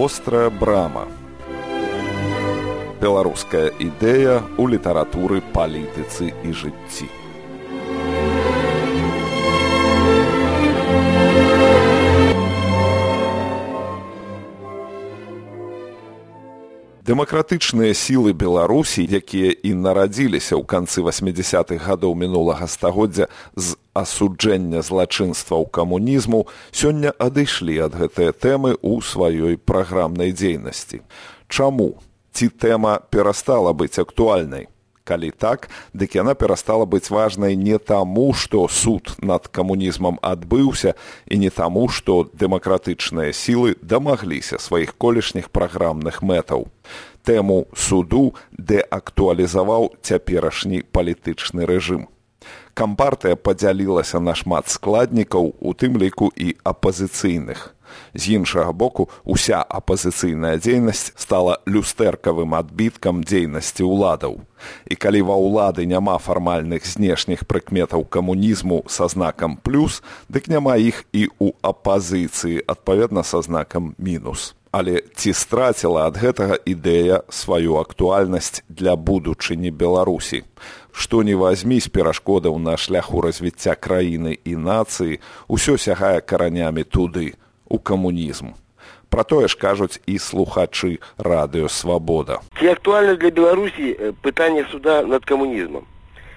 Вострая брама. Беларуская ідэя ў літаратуры, палітыцы і жыцці. Дэмакратычныя сілы Беларусі, якія і нарадзіліся ў канцы 80-х гадоў мінулага стагоддзя з асуджэння злачынстваў камунізму, сёння адышлі ад гэтай тэмы ў сваёй праграмнай дзейнасці. Чаму? Ці тэма перастала быць актуальнай? Калі так, дык яна перастала быць важнай не таму, што суд над камунізмам адбыўся, і не таму, што дэмакратычныя сілы дамагліся сваіх колішніх праграмных мэтаў. Тэму суду дэактуалізаваў цяперашні палітычны рэжым. Кампартыя падзялілася на шмат складнікаў, у тым ліку і апазіцыйных. З іншага боку, уся апазіцыйная дзейнасць стала люстэркавым адбіткам дзейнасці ўладаў. І калі ва ўлады няма фармальных знешніх прыкметаў камунізму са знакам плюс, дык няма іх і ў апазіцыі, адпаведна са знакам мінус. Але ці страціла ад гэтага ідэя сваю актуальнасць для будучыні Беларусі? Што ні вазьмі з перашкодаў на шляху развіцця краіны і нацыі, усё сягае каранямі туды, у камунізм. Пра тое ж кажуць і слухачы радыё «Свабода». Ці актуальна для Беларусі пытанне суда над камунізмам?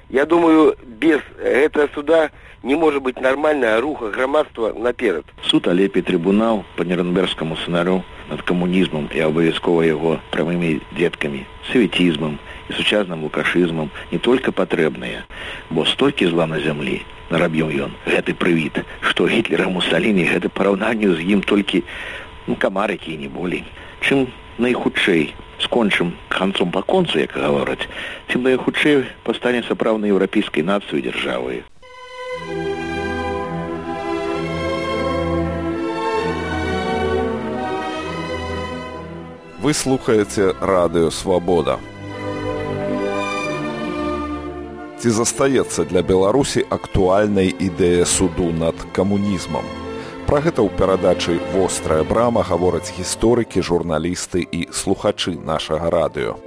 Я думаю, без гэтага суда не можа быць нармальнага руха грамадства наперад. Суд алепі трыбунал па нюрнбергскаму сцэнарыю над камунізмам і абавязкова яго прамымі дзеткамі, савецізмам і сучасным лукашызмам не толькі патрэбныя, бо столькі зла на зямлі нарабіў ён, гэты прывід, што Гітлера, Мусаліні, гэта параўнанню з ім толькі камарыкі і не болей. Чым найхутчэй скончым канцом па концу, як гавораць, тым найхутчэй пастане сапраўднай еўрапейскай нацыяй дзяржавай. Вы слухаеце радыё «Свабода». Ці застаецца для Беларусі актуальнай ідэя суду над камунізмам? Пра гэта ў перадачы «Вострая брама» гавораць гісторыкі, журналісты і слухачы нашага радыё.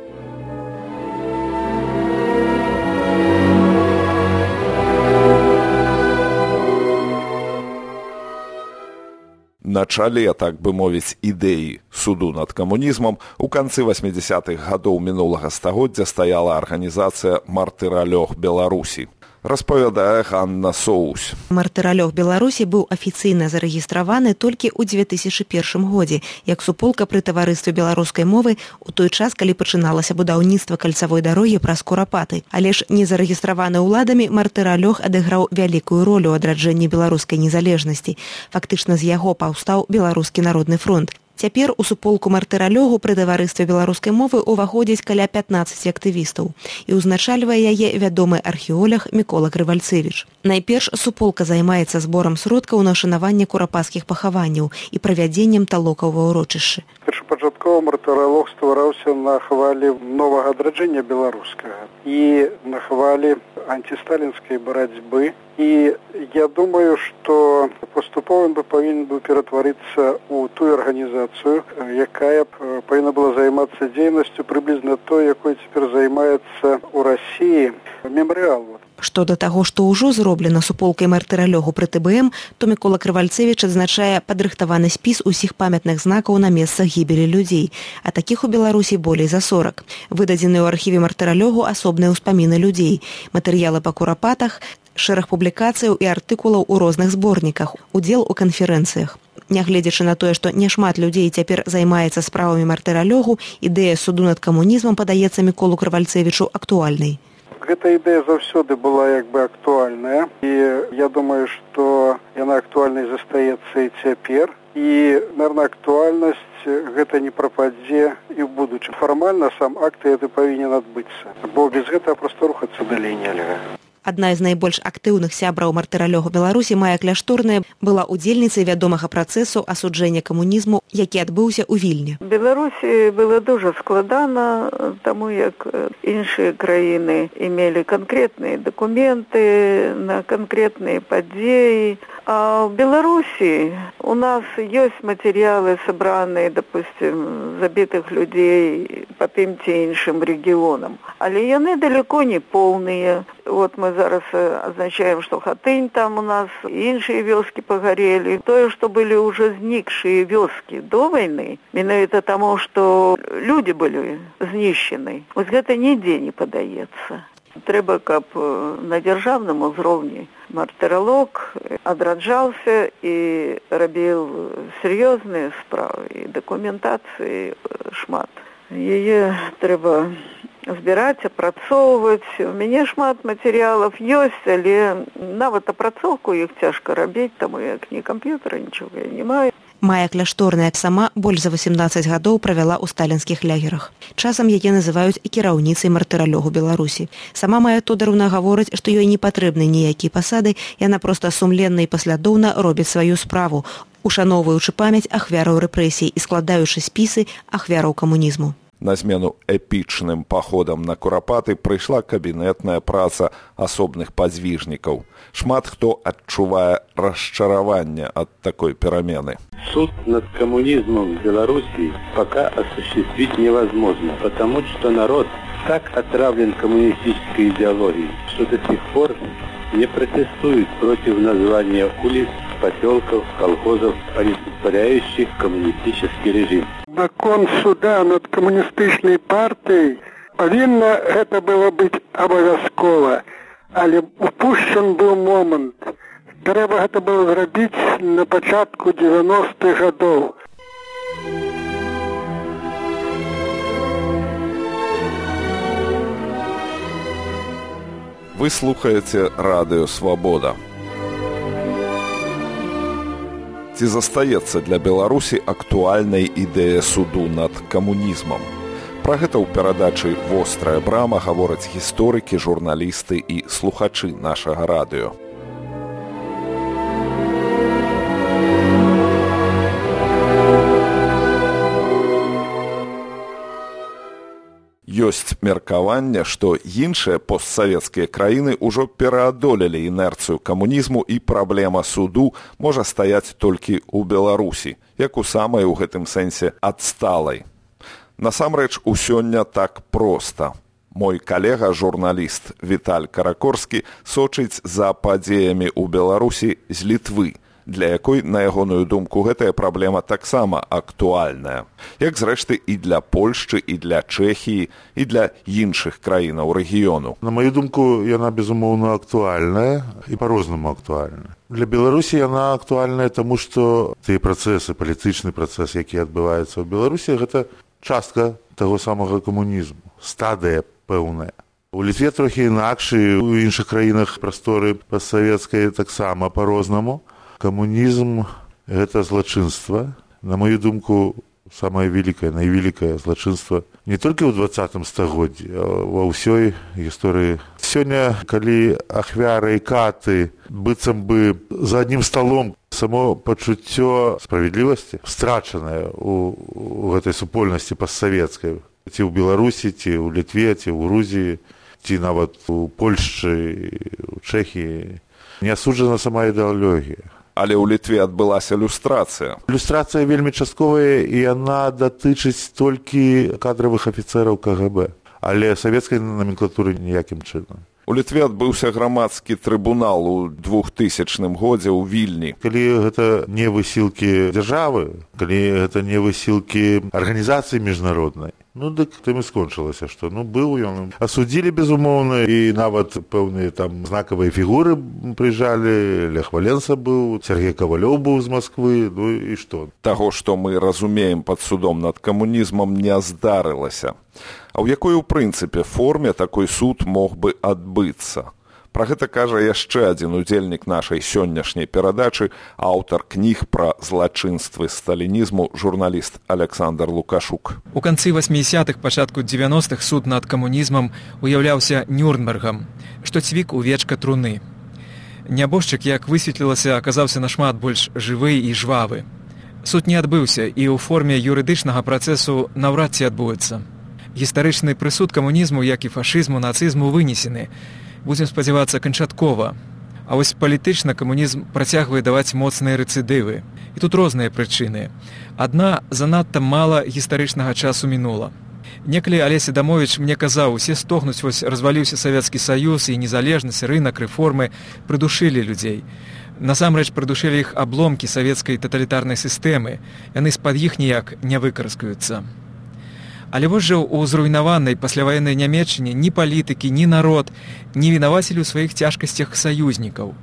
На чале, так бы мовіць, ідэі суду над камунізмам у канцы 80-х гадоў мінулага стагоддзя стаяла арганізацыя «Мартыралёг Беларусі». Распавядае Ганна Соусь. Мартыралёг Беларусі быў афіцыйна зарэгістраваны толькі ў 2001 годзе, як суполка пры таварыстве беларускай мовы у той час, калі пачыналася будаўніцтва кальцавой дарогі праз Курапаты. Але ж не зарэгістраваны ўладамі, Мартыралёг адыграў вялікую ролю ў адраджэнні беларускай незалежнасці. Фактычна з яго паўстаў Беларускі народны фронт. Цяпер у суполку Мартыралёгу пры таварыстве беларускай мовы ўваходзіць каля 15 актывістаў і ўзначальвае яе вядомы археолог Мікола Крывальцевіч. Найперш суполка займаецца зборам сродкаў на шанаванне курапацкіх пахаванняў і правядзеннем талокаў ва ўрочышчы. Першапачаткова Мартыралёг ствараўся на хвалі новага адраджэння беларускага і на хвалі антисталінскай барацьбы. І я думаю, што паступова ён павінен быў ператварыцца ў тую арганізацыю, якая павінна была займацца дзейнасцю прыблізна той, якой цяпер займаецца ў Расіі мемарыал. Што да таго, што ўжо зроблена суполкай Мартыралёгу пры ТБМ, то Мікола Крывальцевіч адзначае падрыхтаваны спіс усіх памятных знакаў на месцах гібелі людзей, а такіх у Беларусі болей за 40. Выдадзены ў архіве Мартыралёгу асобныя ўспаміны людзей, матэрыялы па курапатах, шэраг публікацыяў і артыкулаў у розных зборніках, удзел у канферэнцыях. Нягледзячы на тое, што няшмат людзей цяпер займаецца справамі Мартыралёгу, ідэя суду над камунізмам падаецца Міколу Крывальцевічу актуальнай. Гэта ідэя заўсёды была як бы актуальная, і я думаю, што яна актуальнай застаецца і цяпер. І, наверное, актуальнасць гэта не прападзе і ў будучым. Фармальна сам акт гэты павінен адбыцца, бо без гэтага проста рухацца далей нельга. Адна з найбольш актыўных сябраў мартыралёгу Беларусі Майя Кляшторная была удзельніцай вядомага працэсу асуджэння камунізму, які адбыўся ў Вільні. Беларусі было дуже складана, таму як іншыя краіны имели конкретные документы на конкретные падзеі. А в Беларуси у нас есть материалы, собранные, допустим, забитых людей по тем ці іншым регионам. Але яны далеко не полные. Вот мы зараз означаем, что Хатынь там у нас, іншыя вёскі погорели. Тое, что были уже зникшие вёскі до войны, менавіта тому, что люди были знищены. Вот гэта нідзе не подаецца. Трэба, каб на дзяржаўным узроўні мартыралог адраджаўся і рабіў сур'ёзныя справы, і дакументацыі шмат. Яе трэба збіраць, апрацоўваць. У мяне шмат матэрыялаў ёсць, але нават апрацоўку іх цяжка рабіць, таму як ні камп'ютара, нічога я не маю. Майя Кляшторная сама больш за 18 гадоў правяла ў сталінскіх лягерах. Часам яе называюць і кіраўніцай мартыралёгу Беларусі. Сама Майя Тодоровна гаворыць, што ёй не патрэбны ніякія пасады, яна проста сумленна і паслядоўна робіць сваю справу, ушаноўваючы памяць ахвяраў рэпрэсій і складаючы спісы ахвяраў камунізму. На змену эпічным паходам на Курапаты прыйшла кабінетная праца асобных падзвіжнікаў. Шмат хто адчувае расчараванне ад такой перамены. Суд над коммунизмом в Беларуси пока осуществить невозможно, потому что народ так отравлен коммунистической идеологией, что до сих пор не протестует против названия улиц, поселков, колхозов, олицетворяющих коммунистический режим. Закон суда над камуністычнай партыяй павінна гэта было быць абавязкова, але упушчан быў момант. Трэба гэта было зрабіць на пачатку 90-х гадоў. Вы слухаеце радыё «Свабода». Ці застаецца для Беларусі актуальнай ідэя суду над камунізмам? Пра гэта ў перадачы «Вострая брама» гавораць гісторыкі, журналісты і слухачы нашага радыё. Ёсць меркаванне, што іншыя постсавецкія краіны ўжо пераадолелі інерцыю камунізму і праблема суду можа стаяць толькі ў Беларусі, як у самай у гэтым сэнсе адсталай. Насамрэч, усё не так проста. Мой калега, журналіст Віталь Каракорскі, сочыць за падзеямі ў Беларусі з Літвы, для якой, на ягоную думку, гэтая праблема таксама актуальная. Як, зрэшты, і для Польшчы, і для Чэхіі, і для іншых краінаў рэгіёну. На маю думку, яна, безумоўна, актуальная і па-рознаму актуальная. Для Беларусі яна актуальная, таму што тыя працэсы, палітычны працэс, які адбываецца ў Беларусі, гэта частка таго самага камунізму, стадыя пэўная. У Літве трохі інакш, у іншых краінах прасторы постсавецкай таксама па-рознаму. Камунізм – гэта злачынства. На мою думку, самае вялікае, найвелікае злачынства не толькі ў 20 стагоддзі, а ва ўсёй гісторыі. Сёння, калі ахвяры і каты быццам бы за аднім сталом, само пачуццё справядлівасці страчанае у гэтай супольнасці постсавецкай. Ці ў Беларусі, ці ў Літве, ці ў Грузіі, ці нават у Польшчы, у Чэхіі. Не асуджана сама ідэалогія. Але ў Літве адбылася люстрацыя. Люстрацыя вельмі частковая, і яна датычыць толькі кадравых афіцэраў КГБ. Але савецкай номенклатуры ніякім чынам. У Літве адбыўся грамадскі трыбунал у 2000 годзе ў Вільні. Калі гэта не высілкі дзяржавы, калі гэта не высілкі арганізацыі міжнароднай, дык тым і скончылася, што быў ён. Асудзілі, безумоўна, і нават пэўныя там знакавыя фігуры прыязджалі. Лех Валенса быў, Сергей Кавалёў быў з Масквы, і што? Таго, што мы разумеем пад судом над камунізмам, не здарылася. А ў якой, у прынцыпе, форме такой суд мог бы адбыцца? Пра гэта кажа яшчэ адзін удзельнік нашай сённяшняй перадачы, аўтар кніг пра злачынствы сталінізму, журналіст Александр Лукашук. У канцы 80-х, пачатку 90-х суд над камунізмам уяўляўся Нюрнбергам, што цвік у вечка труны. Нябожчык, як высветлілася, аказаўся нашмат больш жывы і жвавы. Суд не адбыўся і ў форме юрыдычнага працэсу наўрад ці адбудзецца. Гістарычны прысуд камунізму, як і фашызму, нацызму вынесены. Будзем спадзявацца канчаткова. А вось палітычна камунізм працягвае даваць моцныя рэцыдывы. І тут розныя прычыны. Адна, занадта мала гістарычнага часу мінула. Некалі Алесь Адамовіч мне казаў, усе стогнуць, вось разваліўся Савецкі Саюз, і незалежнасць, рынак, рэформы прыдушылі людзей. Насамрэч прыдушылі іх абломкі савецкай таталітарнай сістэмы. Яны з-пад іх ніяк не выкараскаюцца. Але вось жа ў зруйнаванай пасляваеннай Нямецчыне ні палітыкі, ні народ не вінавацілі ў сваіх цяжкасцях саюзнікаў.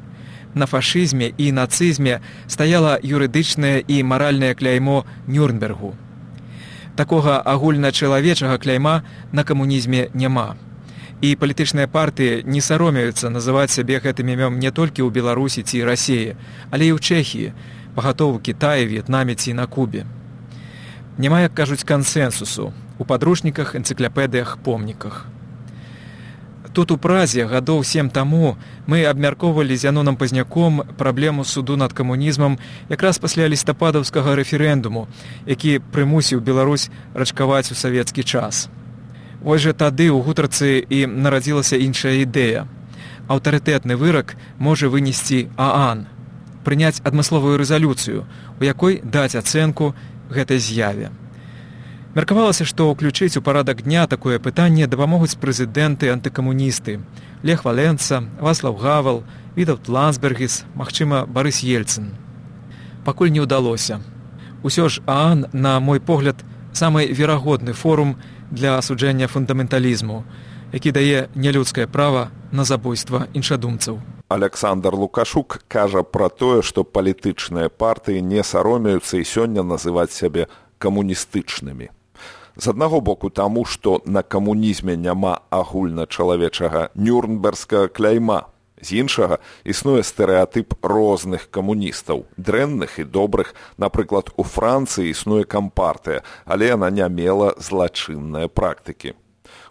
На фашызме і нацызме стаяла юрыдычнае і маральнае кляймо Нюрнбергу. Такога агульначалавечага кляйма на камунізме няма. І палітычныя партыі не саромеюцца называць сябе гэтым імем не толькі ў Беларусі ці Расіі, але і ў Чэхіі, пагатоў у Кітаі, В'етнаме ці на Кубе. Няма, як кажуць, кансэнсусу у падручніках, энцыклапедыях, помніках. Тут у Празе гадоў 7 таму мы абмяркоўвалі з Янонам Пазняком праблему суду над камунізмам якраз пасля лістападаўскага рэферэндуму, які прымусіў Беларусь рачкаваць у савецкі час. Вось жа тады ў гутарцы і нарадзілася іншая ідэя. Аўтарытэтны вырак можа вынесці ААН, прыняць адмысловую рэзалюцыю, у якой даць ацэнку гэтай з'яве. Меркавалася, што ўключыць у парадак дня такое пытанне дапамогуць прэзідэнты-антыкамуністы Лех Валенца, Вацлаў Гавал, Вітаўт Лансбергіс, магчыма, Барыс Ельцын. Пакуль не ўдалося. Усё ж ААН, на мой погляд, самы верагодны форум для асуджэння фундаменталізму, які дае нялюдскае права на забойства іншадумцаў. Александр Лукашук кажа пра тое, што палітычныя партыі не саромеюцца і сёння называць сябе камуністычнымі. З аднаго боку таму, што на камунізме няма агульначалавечага нюрнбергскага кляйма. З іншага, існуе стэрэатып розных камуністаў, дрэнных і добрых. Напрыклад, у Францыі існуе кампартыя, але яна не мела злачынныя практыкі.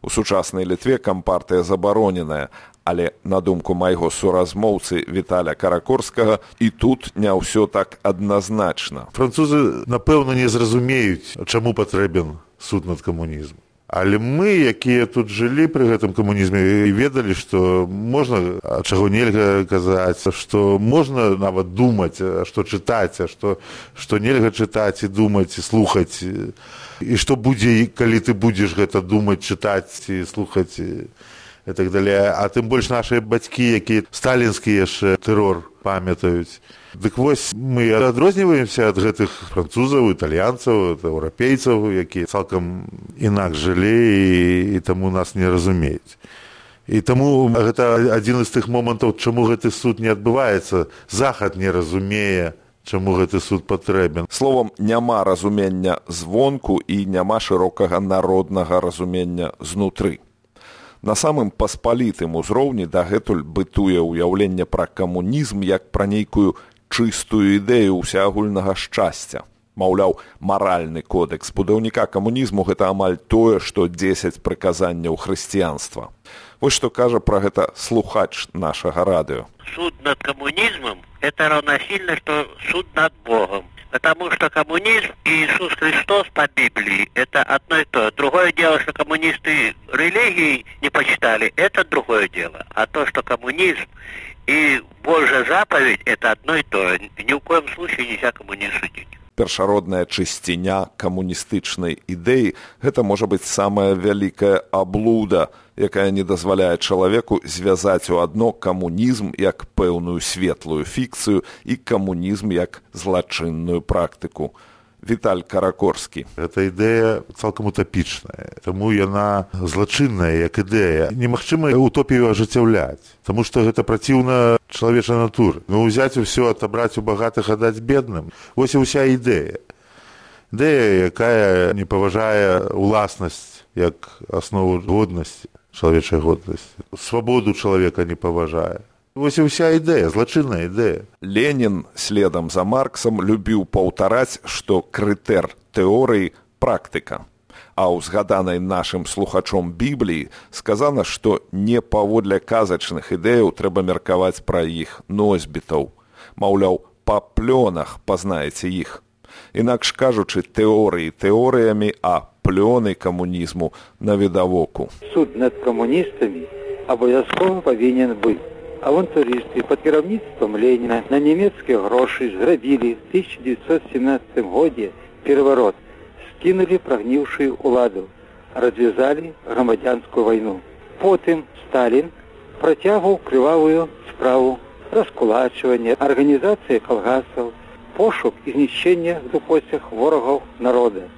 У сучаснай Літве кампартыя забароненая, але, на думку майго суразмоўцы Віталя Каракорскага, і тут не ўсё так адназначна. Французы, напэўна, не зразумеюць, чаму патрэбен суд над камунізмам. Але мы, якія тут жылі пры гэтым камунізме, ведалі, што можна, чаго нельга казаць, што можна нават думаць, што чытаць, што нельга чытаць і думаць, і слухаць. І што будзе, калі ты будзеш гэта думаць, чытаць і слухаць і так далее. А тым больш нашыя бацькі, якія сталінскі яшчэ тэрор памятаюць. Дык вось мы адрозніваемся ад гэтых французаў, італьянцаў, еўрапейцаў, якія цалкам інакш жылі і таму нас не разумеюць. І таму гэта адзін з тых момантаў, чаму гэты суд не адбываецца. Захад не разумее, чаму гэты суд патрэбен. Словам, няма разумення звонку і няма шырокага народнага разумення знутры. На самым паспалітым узроўні дагэтуль бытуе ўяўленне пра камунізм як пра нейкую чыстую ідэю ўсеагульнага шчасця. Маўляў, маральны кодэкс будаўніка камунізму – гэта амаль тое, што 10 прыказанняў хрысціянства. Вось што кажа пра гэта слухач нашага радыё. Суд над коммунизмом – это равносильно, что суд над Богом. Потому что коммунизм и Иисус Христос по Библии – это одно и то. Другое дело, что коммунисты религии не почитали – это другое дело. А то, что коммунизм и Божья заповедь – это одно и то. Ни в коем случае нельзя коммунизм судить. Першародная чысціня камуністычнай ідэі – гэта можа быць самая вялікая аблуда, якая не дазваляе чалавеку звязаць у адно камунізм як пэўную светлую фікцыю і камунізм як злачынную практыку. Віталь Каракорскі. Гэта ідэя цалкам утапічная, таму яна злачынная як ідэя. Немагчыма утопію ажыццяўляць, таму што гэта праціўна чалавечай натуры. Ну, узяць усё, адабраць у багатых, аддаць бедным. Вось і ўся ідэя. Ідэя, якая не паважае уласнасць як аснову годнасці. чалавечай годнасці. Свабоду чалавека не паважае. Вось і ўся ідэя, злачынная ідэя. Ленін, следам за Марксам, любіў паўтараць, што крытэр тэорыі – практыка. А ў згаданай нашым слухачом Бібліі сказана, што не паводле казачных ідэяў трэба меркаваць пра іх носьбітаў. Маўляў, па плёнах пазнаеце іх. Інакш кажучы, тэорыі тэорыямі, а плёны камунізму навідавоку. Суд над камуністамі абавязкова павінен быць. Авантурысты пад кіраўніцтвам Леніна на нямецкія грошы зрабілі в 1917 годзе пераварот, скінулі прагніўшую ўладу, развязалі грамадзянскую вайну. Потым Сталін працягваў крывавую справу раскулачвання, арганізацыя калгасаў, пошук і знішчэння в дупоцях ворагаў народа.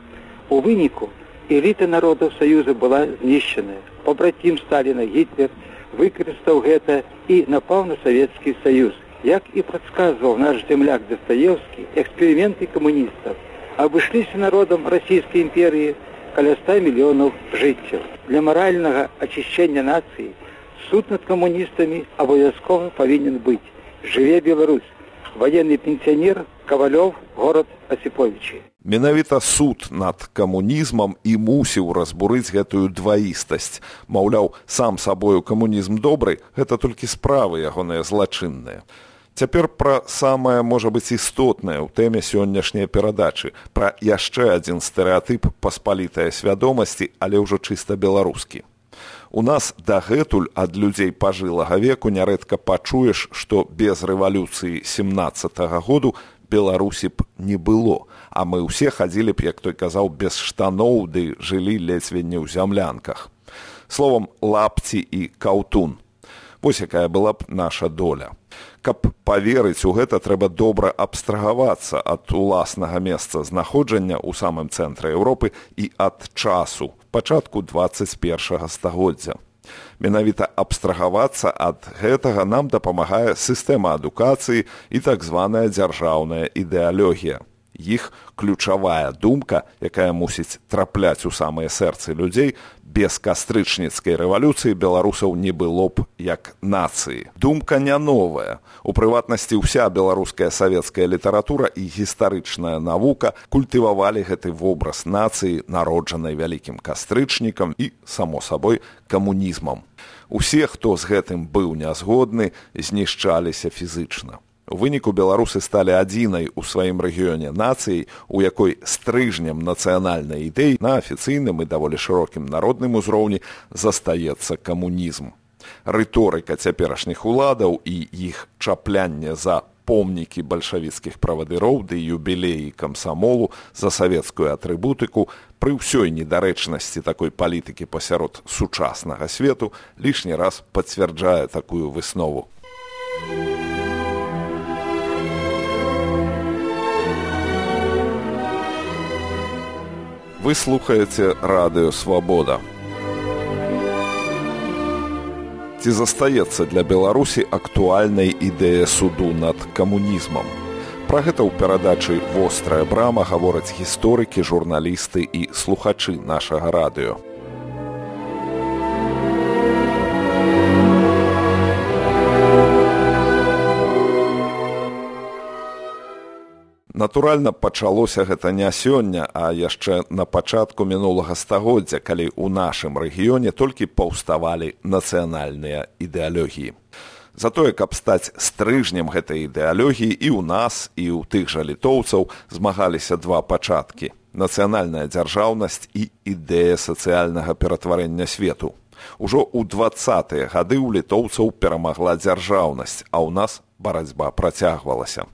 У выніку эліта народаў Саюза была знішчаная. Побратим Сталіна Гітлер выкарыстаў гэта і напаў на Савецкі Саюз. Як і прадказваў наш земляк Дастаевскі, эксперыменты камуністаў абышліся народам Расійскай імперыі каля 100 мільёнаў жыццяў. Для маральнага ачышчэння нацыі суд над камуністамі абавязкова павінен быць. Жыве Беларусь! Военный пенсионер Ковалёв, город Осиповичи. Менавіта суд над камунізмам і мусіў разбурыць гэтую дваістасць. Маўляў, сам сабою камунізм добры, гэта толькі справы ягоныя злачынныя. Цяпер пра самае, можа быць, істотнае ў тэме сённяшняй перадачы, пра яшчэ адзін стэрэатып паспалітае свядомасці, але ўжо чыста беларускі. У нас дагэтуль ад людзей пажылага веку нярэдка пачуеш, што без рэвалюцыі 17-го году Беларусі б не было, а мы ўсе хадзілі б, як той казаў, без штаноў, ды жылі ледзьве не ў зямлянках. Словам, лапці і каўтун. Вось якая была б наша доля. Каб паверыць у гэта, трэба добра абстрагавацца ад уласнага месца знаходжання ў самым цэнтры Еўропы і ад часу, пачатку 21-го стагоддзя. Менавіта абстрагавацца ад гэтага нам дапамагае сістэма адукацыі і так званая дзяржаўная ідэалогія. Іх ключавая думка, якая мусіць трапляць у самыя сэрцы людзей, без кастрычніцкай рэвалюцыі беларусаў не было б як нацыі. Думка не новая. У прыватнасці ўся беларуская савецкая літаратура і гістарычная навука культывавалі гэты вобраз нацыі, народжанай вялікім кастрычнікам і, само сабой, камунізмам. Усе, хто з гэтым быў нязгодны, знішчаліся фізычна. У выніку беларусы сталі адзінай у сваім рэгіёне нацыяй, у якой стрыжнем нацыянальнай ідэі на афіцыйным і даволі шырокім народным узроўні застаецца камунізм. Рыторыка цяперашніх уладаў і іх чаплянне за помнікі бальшавіцкіх правадыроў ды юбілеі камсамолу, за савецкую атрыбутыку, пры ўсёй недарэчнасці такой палітыкі пасярод сучаснага свету лішні раз пацвярджае такую выснову. Вы слухаеце радыё «Свабода». Ці застаецца для Беларусі актуальнай ідэя суду над камунізмам? Пра гэта ў перадачы «Вострая брама» гавораць гісторыкі, журналісты і слухачы нашага радыё. Натуральна, пачалося гэта не сёння, а яшчэ на пачатку мінулага стагоддзя, калі ў нашым рэгіёне толькі паўставалі нацыянальныя ідэалогіі. Затое, каб стаць стрыжнем гэтай ідэалогіі, і ў нас, і ў тых жа літоўцаў змагаліся два пачаткі – нацыянальная дзяржаўнасць і ідэя сацыяльнага ператварэння свету. Ужо ў 20-е гады ў літоўцаў перамагла дзяржаўнасць, а ў нас барацьба працягвалася.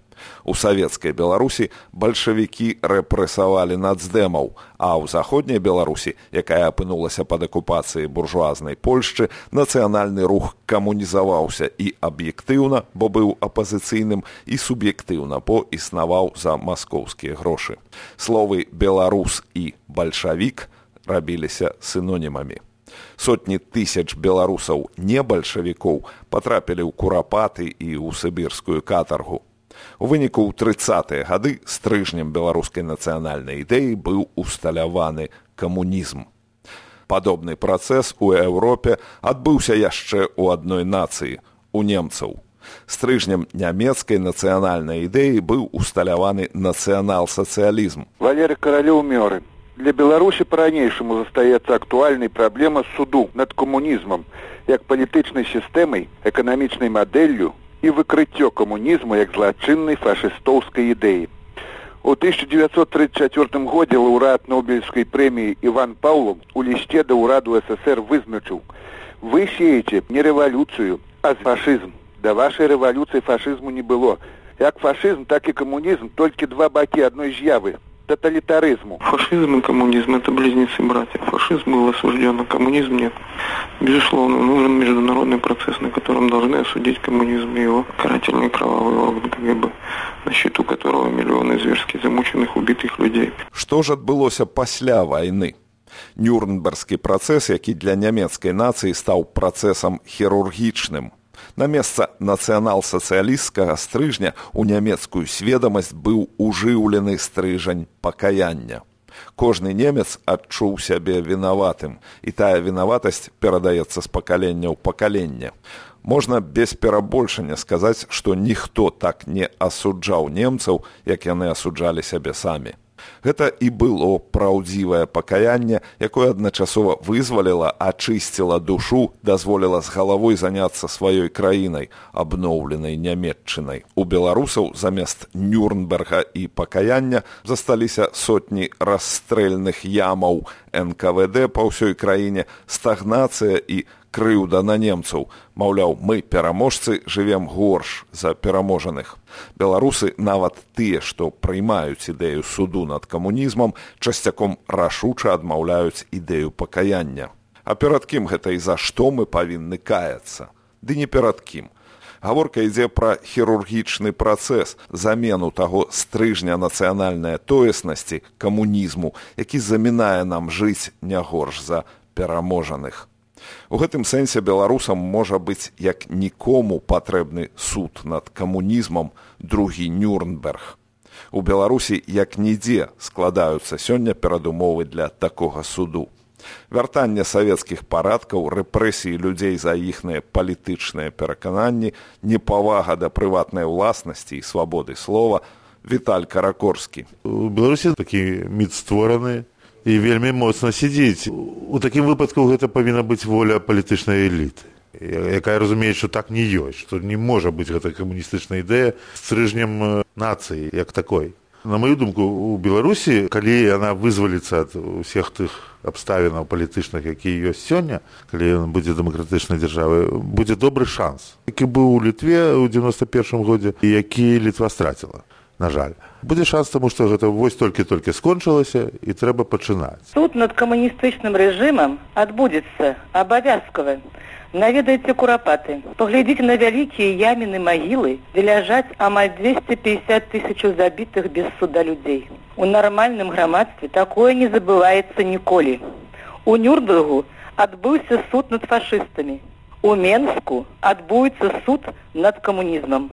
У савецкай Беларусі бальшавікі рэпрэсавалі нацдэмаў, а ў заходняй Беларусі, якая апынулася пад акупацыяй буржуазнай Польшчы, нацыянальны рух камунізаваўся і аб'ектыўна, бо быў апазіцыйным, і суб'ектыўна, бо існаваў за маскоўскія грошы. Словы «беларус» і «бальшавік» рабіліся сінонімамі. Сотні тысяч беларусаў не-бальшавікоў патрапілі ў курапаты і ў сібірскую катаргу. У выніку ў 30-е гады стрыжнем беларускай нацыянальнай ідэі быў усталяваны камунізм. Падобны працэс у Еўропе адбыўся яшчэ ў адной нацыі – у немцаў. Стрыжнем нямецкай нацыянальнай ідэі быў усталяваны нацыянал-сацыялізм. Валерий Королёв Мёры. Для Беларуси по-ранейшаму застаецца актуальнай праблема суду над камунізмам як палітычнай сістэмай, эканамічнай мадэллю і выкрыццё камунізму як злачыннай фашыстоўскай ідэі. У 1934 годзе лаўрэат Нобелевской премии Иван Павлов у лісце да ўраду СССР вызначыў: «Вы сеете не рэвалюцыю, а фашызм. Да вашай рэвалюцыі фашызму не было. Як фашызм, так і камунізм – толькі два бакі адной з'явы – тоталитаризму». Фашизм и коммунизм – это близнецы-братья. Фашизм был осужден, а коммунизм нет. Безусловно, нужен международный процесс, на котором должны осудить коммунизм и его карательный кровавый орган КГБ, на счету которого миллионы зверски замученных, убитых людей. Што ж адбылося пасля вайны? Нюрнбергскі працэс, які для нямецкай нацыі стаў працэсам хірургічным. На месца нацыянал-сацыялісцкага стрыжня у нямецкую сведамасць быў ужыўлены стрыжань пакаяння. Кожны немец адчуў сябе вінаватым, і тая вінаватасць перадаецца з пакалення ў пакаленне. Можна без перабольшання сказаць, што ніхто так не асуджаў немцаў, як яны асуджалі сябе самі. Гэта і было праўдзівае пакаянне, якое адначасова вызваліла, ачысціла душу, дазволіла з галавой заняцца сваёй краінай, абноўленай нямецчынай. У беларусаў замест Нюрнберга і пакаяння засталіся сотні расстрэльных ямаў НКВД па ўсёй краіне, стагнацыя і крыўда на немцаў. Маўляў, мы, пераможцы, жывем горш за пераможаных. Беларусы, нават тыя, што прыймаюць ідэю суду над камунізмам, часцяком рашуча адмаўляюць ідэю пакаяння. А перад кім гэта і за што мы павінны каяцца? Ды не перад кім. Гаворка ідзе пра хірургічны працэс, замену таго стрыжня нацыянальнай тоеснасці, камунізму, які замінае нам жыць не горш за пераможаных. У гэтым сэнсе беларусам можа быць як нікому патрэбны суд над камунізмам, другі Нюрнберг. У Беларусі як нідзе складаюцца сёння перадумовы для такога суду. Вяртанне савецкіх парадкаў, рэпрэсіі людзей за іхныя палітычныя перакананні, непавага да прыватнай уласнасці і свабоды слова. Віталь Каракорскі. У Беларусі такі міт створаны і вельмі моцна сядзіць. У такім выпадку гэта павінна быць воля палітычнай эліты, якая разумее, што так не ёсць, што не можа быць гэта камуністычная ідэя стрыжнем нацыі як такой. На маю думку, у Беларусі, калі яна вызваліцца ад усіх тых абставінаў палітычных, якія ёсць сёння, калі яна будзе дэмакратычнай дзяржавай, будзе добры шанс, які быў у Літве ў 91 годзе і які Літва страціла. На жаль. Будзе шанс, таму што гэта вось толькі-толькі скончылася і трэба пачынаць. Суд над камуністычным рэжымам адбудзецца абавязкова. Наведайце Курапаты, паглядзіце на вялікія яміны магілы, дзе ляжаць амаль 250 тысячаў забітых без суда людзей. У нармальным грамадстве такое не забываецца ніколі. У Нюрнбергу адбыўся суд над фашыстамі. У Менску адбудзецца суд над камунізмам.